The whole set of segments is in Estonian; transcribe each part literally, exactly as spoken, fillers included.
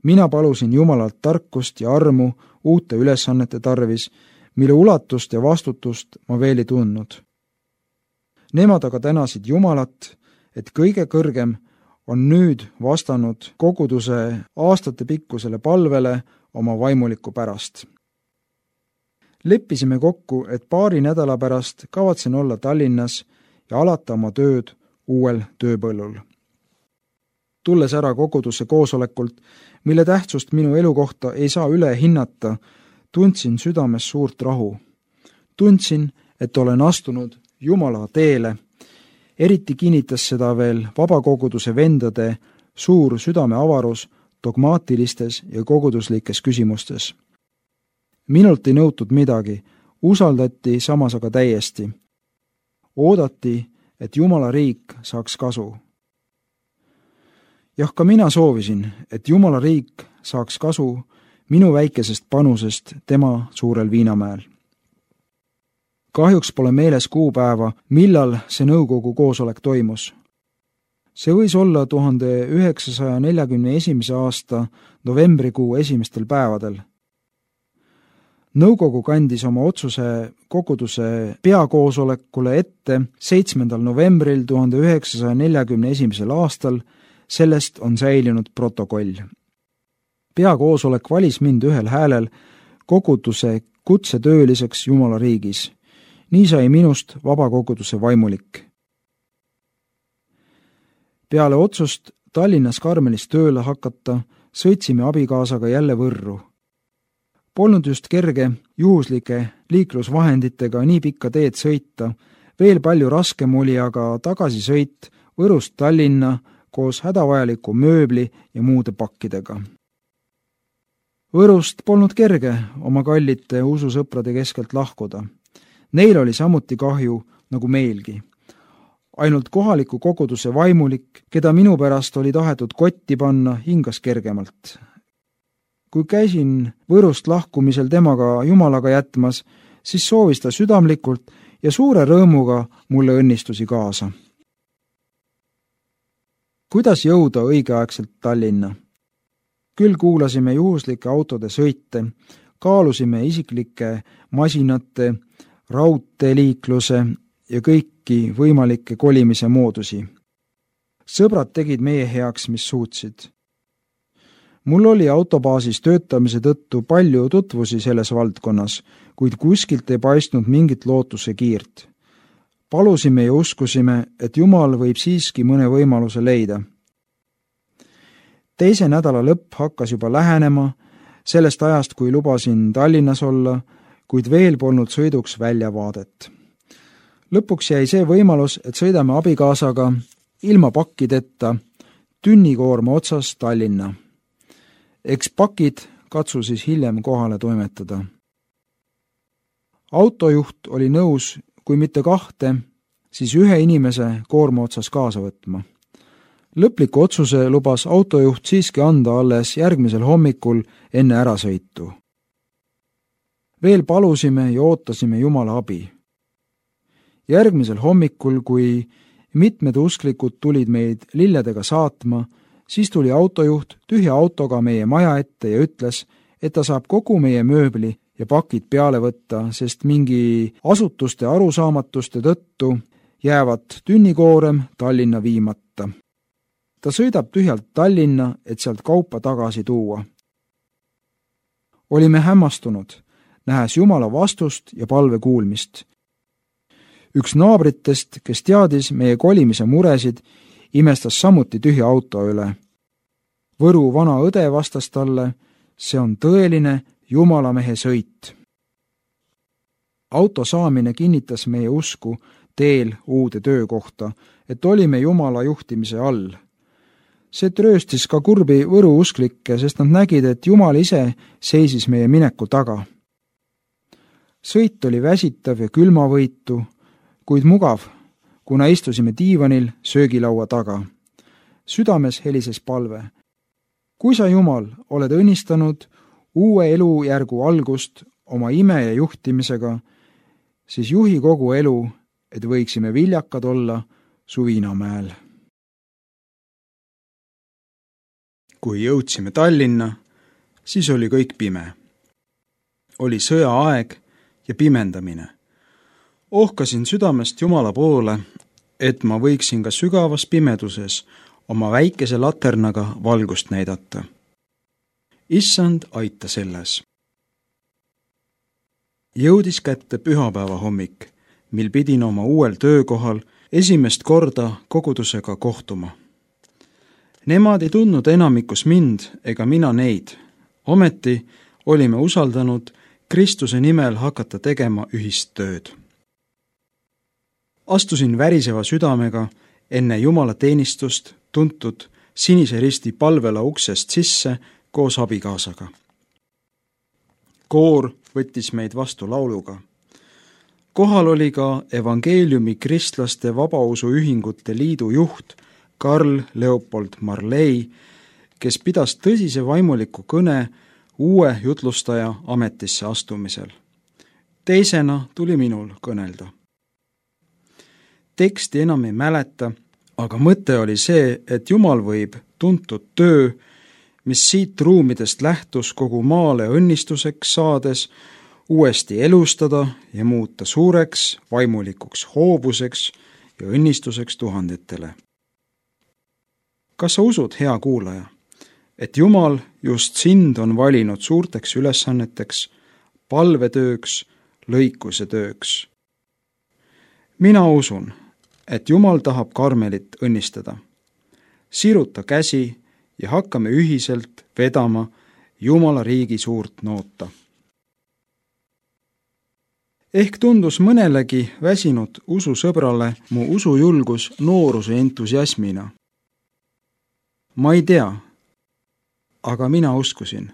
Mina palusin Jumalalt tarkust ja armu uute ülesannete tarvis, mille ulatust ja vastutust ma veel ei tundnud. Nemad aga tänasid Jumalat, et kõige kõrgem on nüüd vastanud koguduse aastatepikkusele palvele oma vaimuliku pärast. Leppisime kokku, et paari nädala pärast kavatsen olla Tallinnas ja alata oma tööd uuel tööpõllul. Tulles ära koguduse koosolekult, mille tähtsust minu elu kohta ei saa üle hinnata, tundsin südames suurt rahu. Tundsin, et olen astunud Jumala teele. Eriti kinnitas seda veel vabakoguduse vendade suur südameavarus dogmaatilistes ja koguduslikes küsimustes. Minult ei nõutud midagi, usaldati samas aga täiesti. Oodati, et Jumala riik saaks kasu. Jah, ka mina soovisin, et Jumala riik saaks kasu minu väikesest panusest tema suurel Viinamäel. Kahjuks pole meeles kuupäeva, millal see nõukogu koosolek toimus. See võis olla tuhande üheksasaja neljakümne esimese aasta novembrikuu esimestel päevadel. Nõukogu kandis oma otsuse koguduse peakoosolekule ette seitsmendal novembril tuhande üheksasaja neljakümne esimesel aastal, sellest on säilinud protokoll. Peakoosolek valis mind ühel häälel koguduse kutsetööliseks Jumala riigis. Nii sai minust vabakoguduse vaimulik. Peale otsust Tallinnas Karmelis tööle hakata, sõitsime abikaasaga jälle Võrru. Polnud just kerge juhuslike liiklusvahenditega nii pikka teed sõita, veel palju raskem oli aga tagasisõit Võrust Tallinna koos hädavajaliku mööbli ja muude pakkidega. Võrust polnud kerge oma kallite ususõprade keskelt lahkuda. Neil oli samuti kahju nagu meilgi. Ainult kohaliku koguduse vaimulik, keda minu pärast oli tahetud kotti panna, hingas kergemalt. Kui käisin Võrust lahkumisel temaga Jumalaga jätmas, siis soovis ta südamlikult ja suure rõõmuga mulle õnnistusi kaasa. Kuidas jõuda õigeaegselt Tallinna? Küll kuulasime juhuslike autode sõite, kaalusime isiklike masinate, raudteeliikluse ja kõiki võimalikke kolimise moodusi. Sõbrad tegid meie heaks, mis suutsid. Mul oli autobaasis töötamise tõttu palju tutvusi selles valdkonnas, kuid kuskilt ei paistnud mingit lootuse kiirt. Palusime ja uskusime, et Jumal võib siiski mõne võimaluse leida. Teise nädala lõpp hakkas juba lähenema, sellest ajast, kui lubasin Tallinnas olla, kuid veel polnud sõiduks väljavaadet. Lõpuks jäi see võimalus, et sõidame abikaasaga ilma pakkideta tünnikoorma otsas Tallinna. Eks pakid katsu siis hiljem kohale toimetada. Autojuht oli nõus, kui mitte kahte, siis ühe inimese koorma otsas kaasa võtma. Lõpliku otsuse lubas autojuht siiski anda alles järgmisel hommikul enne ärasõitu. Veel palusime ja ootasime Jumala abi. Järgmisel hommikul, kui mitmed usklikud tulid meid lilledega saatma, siis tuli autojuht tühja autoga meie maja ette ja ütles, et ta saab kogu meie mööbli ja pakid peale võtta, sest mingi asutuste arusaamatuste tõttu jäävad tünnikoorem Tallinna viimata. Ta sõidab tühjalt Tallinna, et sealt kaupa tagasi tuua. Olime hämmastunud, nähes Jumala vastust ja palve kuulmist. Üks naabritest, kes teadis meie kolimise muresid, imestas samuti tühja auto üle. Võru vana õde vastas talle, see on tõeline Jumalamehe sõit. Auto saamine kinnitas meie usku teel uude töökohta, et olime Jumala juhtimise all. See trööstis ka kurbi Võru usklikke, sest nad nägid, et Jumal ise seisis meie mineku taga. Sõit oli väsitav ja külmavõitu, kuid mugav, kuna istusime diivanil söögilaua taga. Südames helises palve. Kui sa, Jumal, oled õnnistanud uue elujärgu algust oma ime ja juhtimisega, siis juhi kogu elu, et võiksime viljakad olla su Viinamäel. Kui jõudsime Tallinna, siis oli kõik pime. Oli sõjaaeg ja pimendamine. Ohkasin südamest Jumala poole, et ma võiksin ka sügavas pimeduses oma väikese laternaga valgust näidata. Issand, aita selles. Jõudis kätte pühapäeva hommik, mil pidin oma uuel töökohal esimest korda kogudusega kohtuma. Nemad ei tundnud enamikus mind ega mina neid. Ometi olime usaldanud Kristuse nimel hakata tegema ühist tööd. Astusin väriseva südamega enne Jumala teenistust tuntud Sinise Risti palvela uksest sisse koos abikaasaga. Koor võttis meid vastu lauluga. Kohal oli ka evangeeliumi kristlaste vabausuühingute liidu juht Karl Leopold Marley, kes pidas tõsise vaimuliku kõne uue jutlustaja ametisse astumisel. Teisena tuli minul kõnelda. Teksti enam ei mäleta, aga mõte oli see, et Jumal võib tuntud töö, mis siit ruumidest lähtus kogu maale õnnistuseks saades, uuesti elustada ja muuta suureks vaimulikuks hoovuseks ja õnnistuseks tuhandetele. Kas sa usud, hea kuulaja, et Jumal just sind on valinud suurteks ülesanneteks, palvetööks, lõikuse tööks? Mina usun, et Jumal tahab Karmelit õnnistada. Siruta käsi ja hakkame ühiselt vedama Jumala riigi suurt noota. Ehk tundus mõnelegi väsinud ususõbrale mu usujulgus nooruse entusiasmina. Ma ei tea, aga mina uskusin.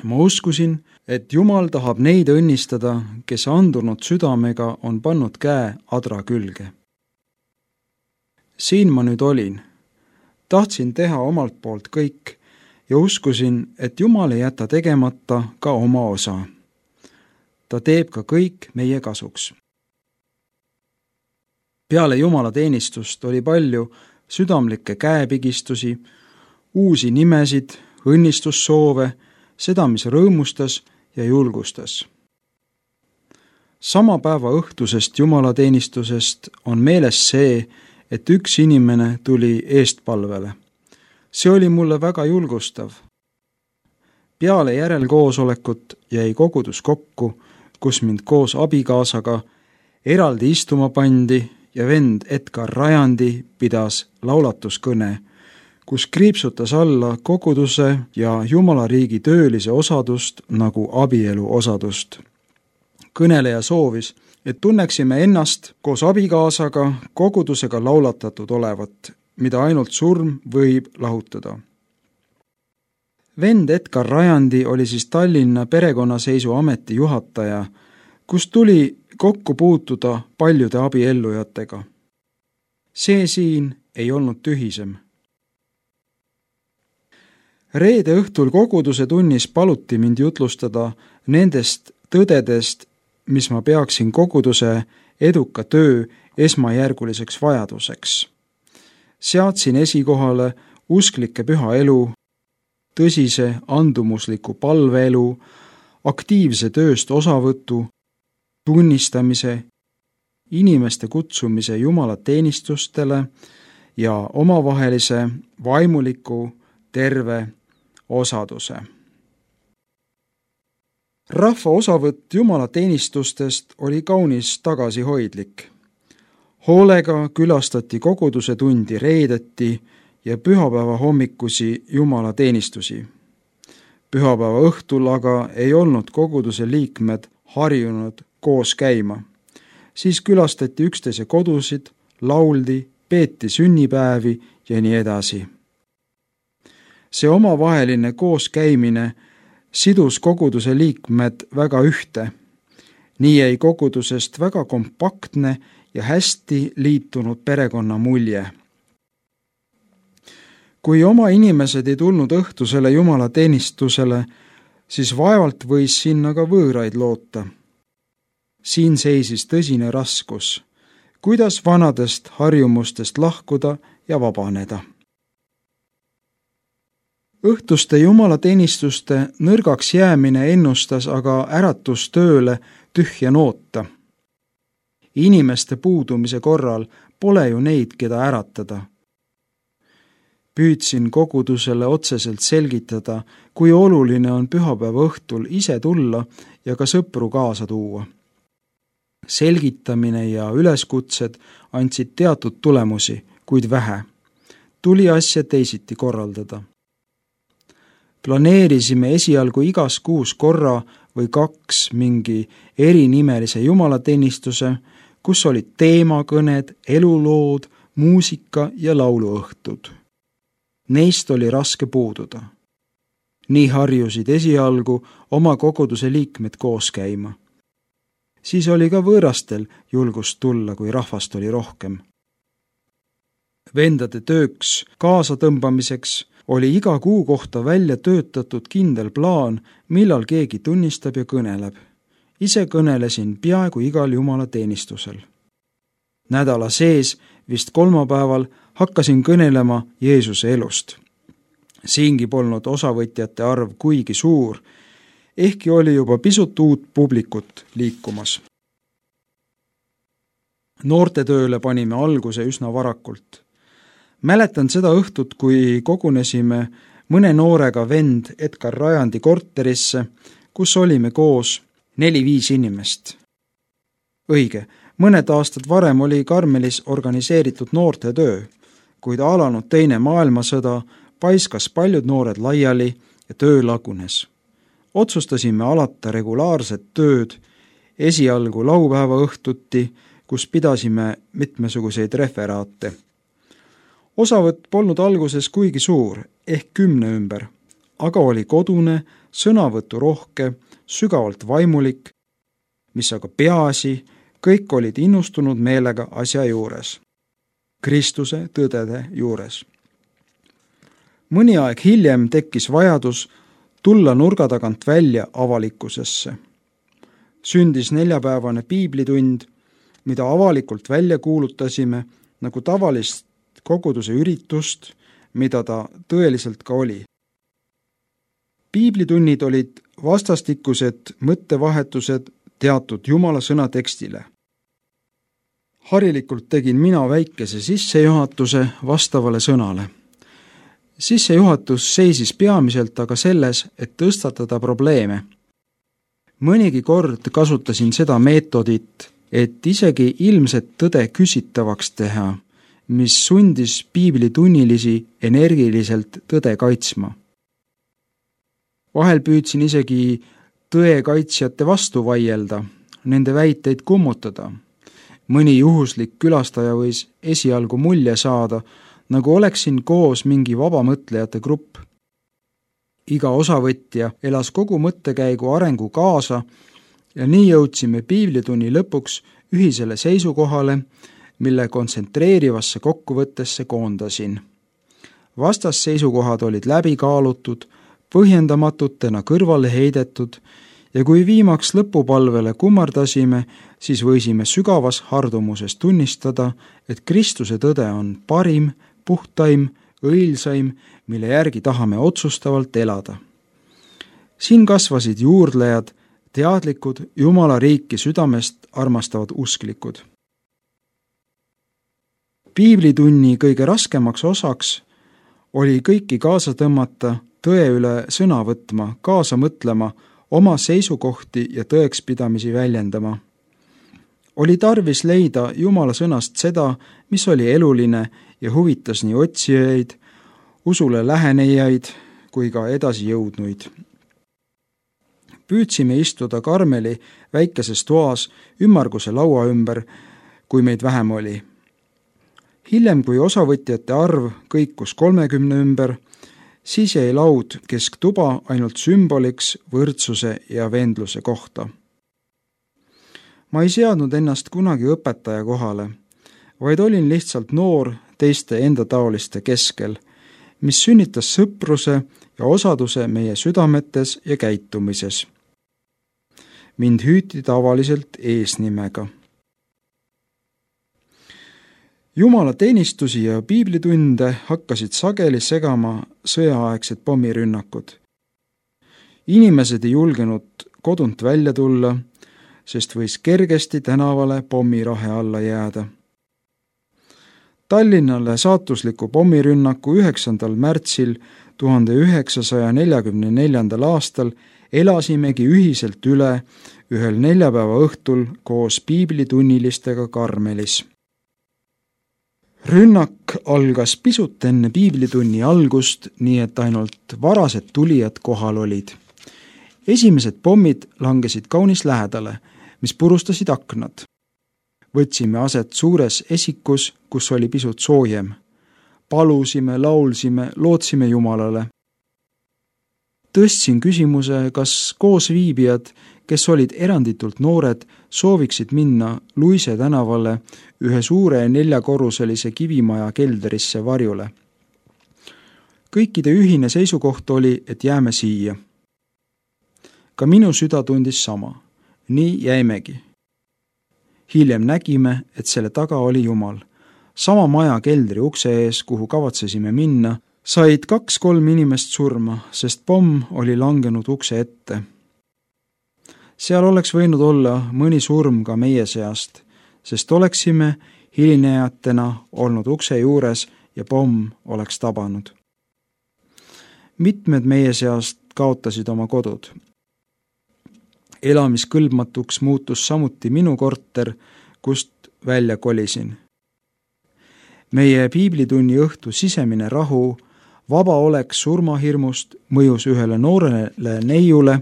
Ma uskusin, et Jumal tahab neid õnnistada, kes andunud südamega on pannud käe adra külge. Siin ma nüüd olin. Tahtsin teha omalt poolt kõik ja uskusin, et Jumal ei jäta tegemata ka oma osa. Ta teeb ka kõik meie kasuks. Peale Jumala teenistust oli palju südamlikke käepigistusi, uusi nimesid, õnnistussoove, seda, mis rõõmustas ja julgustas. Sama päeva õhtusest jumalateenistusest on meeles see, et üks inimene tuli eestpalvele. See oli mulle väga julgustav. Peale järelkoosolekut jäi kogudus kokku, kus mind koos abikaasaga eraldi istuma pandi ja vend Edgar Rajandi pidas laulatuskõne, kus kriipsutas alla koguduse ja Jumala riigi töölise osadust nagu abielu osadust. Kõneleja soovis, et tunneksime ennast koos abikaasaga kogudusega laulatatud olevat, mida ainult surm võib lahutada. Vend Edgar Rajandi oli siis Tallinna perekonnaseisu ameti juhataja, kus tuli kokku puutuda paljude abiellujatega. See siin ei olnud tühisem. Reede õhtul koguduse tunnis paluti mind jutlustada nendest tõdedest, mis ma peaksin koguduse eduka töö esmajärguliseks vajaduseks. Seadsin esikohale usklike püha elu, tõsise andumusliku palveelu, aktiivse tööst osavõtu, tunnistamise, inimeste kutsumise Jumala teenistustele ja omavahelise vaimuliku terve osaduse. Rahva osavõtt Jumala teenistustest oli kaunis tagasihoidlik. Hoolega külastati koguduse tundi reedeti ja pühapäeva hommikusi Jumala teenistusi. Pühapäeva õhtul aga ei olnud koguduse liikmed harjunud koos käima. Siis külastati üksteise kodusid, lauldi, peeti sünnipäevi ja nii edasi. See omavaheline kooskäimine sidus koguduse liikmed väga ühte. Nii jäi kogudusest väga kompaktne ja hästi liitunud perekonna mulje. Kui oma inimesed ei tulnud õhtusele Jumala teenistusele, siis vaevalt võis sinna ka võõraid loota. Siin seisis tõsine raskus, kuidas vanadest harjumustest lahkuda ja vabaneda. õhtuste jumalateenistuste nõrgaks jäämine ennustas aga äratustööle tühja noota. Inimeste puudumise korral pole ju neid, keda äratada. Püüdsin kogudusele otseselt selgitada, kui oluline on pühapäeva õhtul ise tulla ja ka sõpru kaasa tuua. Selgitamine ja üleskutsed andsid teatud tulemusi, kuid vähe. Tuli asja teisiti korraldada. Planeerisime esialgu igas kuus korra või kaks mingi erinimelise jumalateenistuse, kus olid teemakõned, elulood, muusika ja lauluõhtud. Neist oli raske puududa. Nii harjusid esialgu oma koguduse liikmed koos käima. Siis oli ka võõrastel julgust tulla, kui rahvast oli rohkem. Vendade tööks kaasatõmbamiseks oli iga kuu kohta välja töötatud kindel plaan, millal keegi tunnistab ja kõneleb. Ise kõnelesin peaaegu igal jumalateenistusel. Nädala sees, vist kolmapäeval, hakkasin kõnelema Jeesuse elust. Siingi polnud osavõtjate arv kuigi suur, ehkki oli juba pisut uut publikut liikumas. Noortetööle panime alguse üsna varakult. Mäletan seda õhtut, kui kogunesime mõne noorega vend Edgar Rajandi korterisse, kus olime koos neli-viis inimest. Õige, mõned aastad varem oli Karmelis organiseeritud noortetöö, kuid alanud teine maailmasõda paiskas paljud noored laiali ja töö lagunes. Otsustasime alata regulaarset tööd esialgu laupäeva õhtuti, kus pidasime mitmesuguseid referaate. Osavõtt polnud alguses kuigi suur, ehk kümne ümber, aga oli kodune, sõnavõtu rohke, sügavalt vaimulik, mis aga peaasi, kõik olid innustunud meelega asja juures, Kristuse tõdede juures. Mõni aeg hiljem tekkis vajadus tulla nurga tagant välja avalikkusesse. Sündis neljapäevane piiblitund, mida avalikult välja kuulutasime nagu tavalist koguduse üritust, mida ta tõeliselt ka oli. Piiblitunnid olid vastastikused mõttevahetused teatud Jumala sõna tekstile. Harilikult tegin mina väikese sissejuhatuse vastavale sõnale. Sissejuhatus seisis peamiselt aga selles, et tõstatada probleeme. Mõnigi kord kasutasin seda meetodit, et isegi ilmset tõde küsitavaks teha, mis sundis piiblitunnilisi energiliselt tõde kaitsma. Vahel püüdsin isegi tõe kaitsjate vastu vaielda, nende väiteid kummutada. Mõni juhuslik külastaja võis esialgu mulje saada, nagu oleksin koos mingi vabamõtlejate grupp. Iga osavõtja elas kogu mõttekäigu arengu kaasa ja nii jõudsime piiblitunni lõpuks ühisele seisukohale, mille kontsentreerivasse kokkuvõttesse koondasin. Vastasseisukohad olid läbi kaalutud, põhjendamatutena kõrvale heidetud ja kui viimaks lõpupalvele kummardasime, siis võisime sügavas hardumuses tunnistada, et Kristuse tõde on parim, puhtaim, õilsaim, mille järgi tahame otsustavalt elada. Siin kasvasid juurdlejad, teadlikud, Jumala riiki südamest armastavad usklikud. Piiblitunni kõige raskemaks osaks oli kõiki kaasa tõmmata, tõe üle sõna võtma, kaasa mõtlema, oma seisukohti ja tõekspidamisi väljendama. Oli tarvis leida Jumala sõnast seda, mis oli eluline ja huvitas nii otsijaid, usule lähenejaid kui ka edasi jõudnuid. Püüdsime istuda Karmeli väikeses toas ümmarguse laua ümber, kui meid vähem oli. Hiljem, kui osavõtjate arv kõikus kolmekümne ümber, siis jäi laud kesktuba ainult sümboliks võrdsuse ja vendluse kohta. Ma ei seadnud ennast kunagi õpetaja kohale, vaid olin lihtsalt noor teiste enda taoliste keskel, mis sünnitas sõpruse ja osaduse meie südametes ja käitumises. Mind hüüti tavaliselt eesnimega. Jumala teenistusi ja piiblitunde hakkasid sageli segama sõjaaegsed pommirünnakud. Inimesed ei julgenud kodunt välja tulla, sest võis kergesti tänavale pommirahe alla jääda. Tallinnale saatusliku pommirünnaku üheksandal märtsil tuhande üheksasaja neljakümne neljandal aastal elasimegi ühiselt üle ühel neljapäeva õhtul koos piiblitunnilistega Karmelis. Rünnak algas pisut enne piiblitunni algust, nii et ainult varased tulijad kohal olid. Esimesed pommid langesid kaunis lähedale, mis purustasid aknad. Võtsime aset suures esikus, kus oli pisut soojem. Palusime, laulsime, lootsime Jumalale. Tõstsin küsimuse, kas koosviibijad, kes olid eranditult noored, sooviksid minna Luise tänavale ühe suure neljakorruselise kivimaja kelderisse varjule. Kõikide ühine seisukoht oli, et jääme siia. Ka minu süda tundis sama. Nii jäimegi. Hiljem nägime, et selle taga oli Jumal. Sama maja keldri ukse ees, kuhu kavatsesime minna, said kaks-kolm inimest surma, sest pomm oli langenud ukse ette. Seal oleks võinud olla mõni surm ka meie seast, sest oleksime hilinejatena olnud ukse juures ja pomm oleks tabanud. Mitmed meie seast kaotasid oma kodud. Elamiskõlbmatuks muutus samuti minu korter, kust välja kolisin. Meie piiblitunni õhtu sisemine rahu, vaba olek surmahirmust mõjus ühele noorele neiule,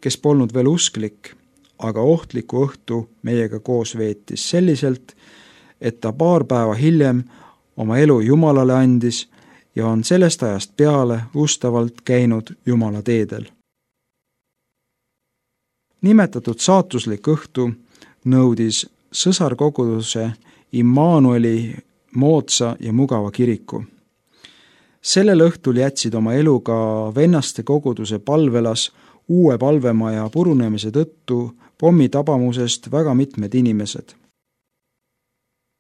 kes polnud veel usklik, aga ohtliku õhtu meiega koos veetis selliselt, et ta paar päeva hiljem oma elu Jumalale andis ja on sellest ajast peale ustavalt käinud Jumala teedel. Nimetatud saatuslik õhtu nõudis sõsarkoguduse Immanueli moodsa ja mugava kiriku. Sellel õhtul jätsid oma elu ka vennaste koguduse palvelas uue palvemaja purunemise tõttu pommitabamusest väga mitmed inimesed.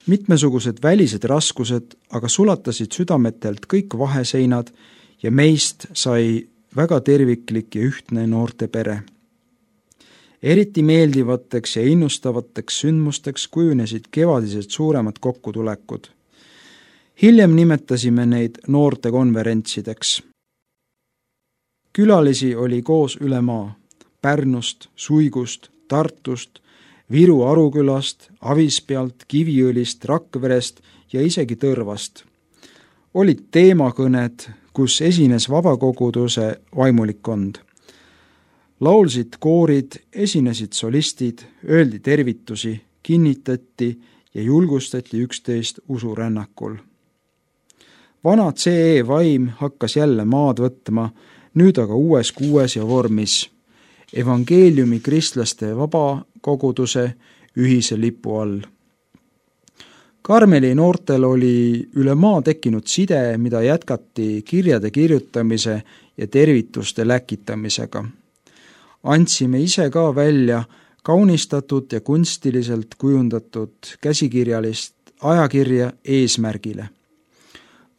Mitmesugused välised raskused aga sulatasid südametelt kõik vaheseinad ja meist sai väga terviklik ja ühtne noorte pere. Eriti meeldivateks ja innustavateks sündmusteks kujunesid kevadised suuremad kokkutulekud. Hiljem nimetasime neid noortekonverentsideks. Külalisi oli koos üle maa, Pärnust, Suigust, Tartust, Viru Arukülast, Avispealt, Kiviõlist, Rakverest ja isegi Tõrvast. Olid teemakõned, kus esines vabakoguduse vaimulikkond. Laulsid koorid, esinesid solistid, öeldi tervitusi, kinnitati ja julgustati üksteist usurännakul. Vana C E vaim hakkas jälle maad võtma, nüüd aga uues kuues ja vormis, evangeeliumi kristlaste vabakoguduse ühise lipu all. Karmeli noortel oli üle maa tekkinud side, mida jätkati kirjade kirjutamise ja tervituste läkitamisega. Andsime ise ka välja kaunistatud ja kunstiliselt kujundatud käsikirjalist ajakirja Eesmärgile.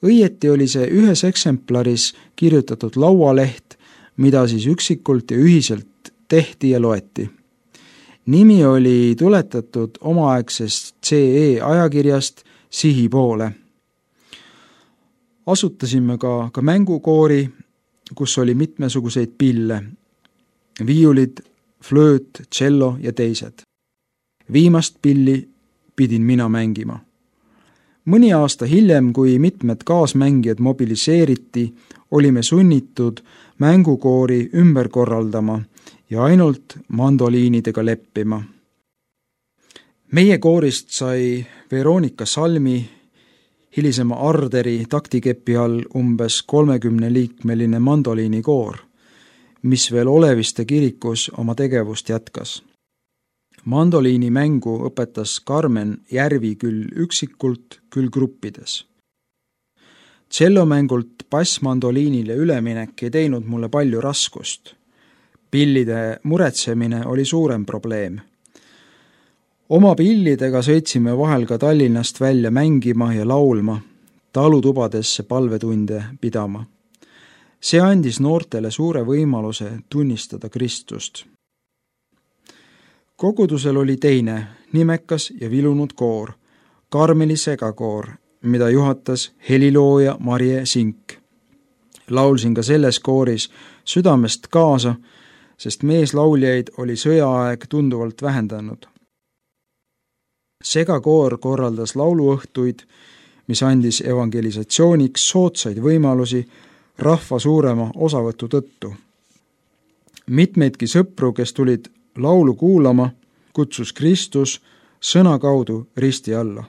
Õieti oli see ühes eksemplaris kirjutatud laualeht, mida siis üksikult ja ühiselt tehti ja loeti. Nimi oli tuletatud omaaegsest C E ajakirjast Sihi poole. Asutasime ka, ka mängukoori, kus oli mitmesuguseid pille, viiulid, flööt, tšello ja teised. Viimast pilli pidin mina mängima. Mõni aasta hiljem, kui mitmed kaasmängijad mobiliseeriti, olime sunnitud mängukoori ümber korraldama ja ainult mandoliinidega leppima. Meie koorist sai Veronika Salmi, hilisema Arderi taktikepi all umbes kolmekümneliikmeline mandoliinikoor, mis veel Oleviste kirikus oma tegevust jätkas. Mandoliini mängu õpetas Karmen Järvi küll üksikult, küll gruppides. Tšellomängult bassmandoliinile üleminek ei teinud mulle palju raskust. Pillide muretsemine oli suurem probleem. Oma pillidega sõitsime vahel ka Tallinnast välja mängima ja laulma, talutubadesse palvetunde pidama. See andis noortele suure võimaluse tunnistada Kristust. Kogudusel oli teine, nimekas ja vilunud koor, Karmeli segakoor, mida juhatas helilooja Marje Sink. Laulsin ka selles kooris südamest kaasa, sest meeslauljaid oli sõjaaeg tunduvalt vähendanud. Segakoor korraldas lauluõhtuid, mis andis evangelisatsiooniks soodsaid võimalusi rahva suurema osavõtu tõttu. Mitmeidki sõpru, kes tulid laulu kuulama, kutsus Kristus sõna kaudu risti alla.